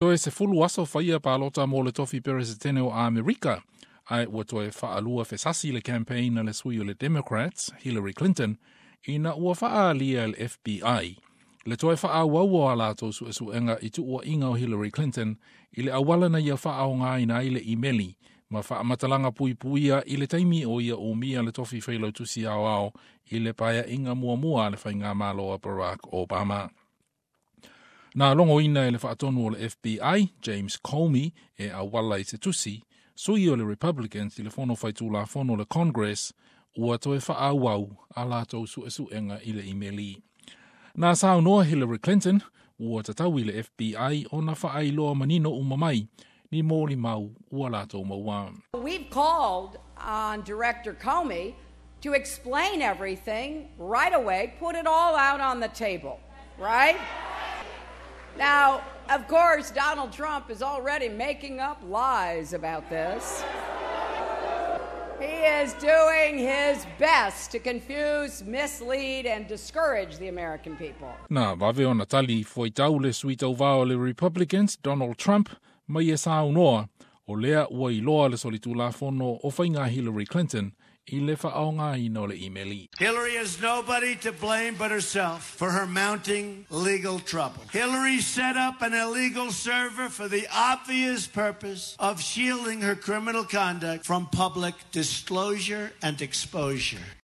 Toe 10 aso faia palota mo le tofi peresetene o Amerika, ae ua toe faalua fesasi le campaign a le sui o le Democrats, Hillary Clinton, ina ua faaalia e le FBI le toe faaauau o a latou suesuega i tuuaiga o Hillary Clinton i le auala na ia faaaogaina ai le imeli ma faamatalaga puipuia i le taimi o ia umia le tofi failautusi aoao i le paeaiga muamua a le faigamalo a Barack Obama. Na logoina e le faatonu o le FBI, James Comey, e auala i se tusi, sui o le Republicans i le fono faitulafono le Congress, ua toe faaauau a latou suesuega i le imeli. Na saunoa Hillary Clinton, ua tatau i le FBI ona faailoa manino uma mai, ni molimau ua latou maua. We've called on Director Comey to explain everything right away, put it all out on the table, right? Now, of course, Donald Trump is already making up lies about this. He is doing his best to confuse, mislead, and discourage the American people. Na vave ona tali fuaitau le sui tauvā o le Republicans, Donald Trump, ma ia saunoa, o lea ua iloa le solitulafono o faiga Hillary Clinton i le faaaogaina o le imeli. Hillary has nobody to blame but herself for her mounting legal trouble. Hillary set up an illegal server for the obvious purpose of shielding her criminal conduct from public disclosure and exposure.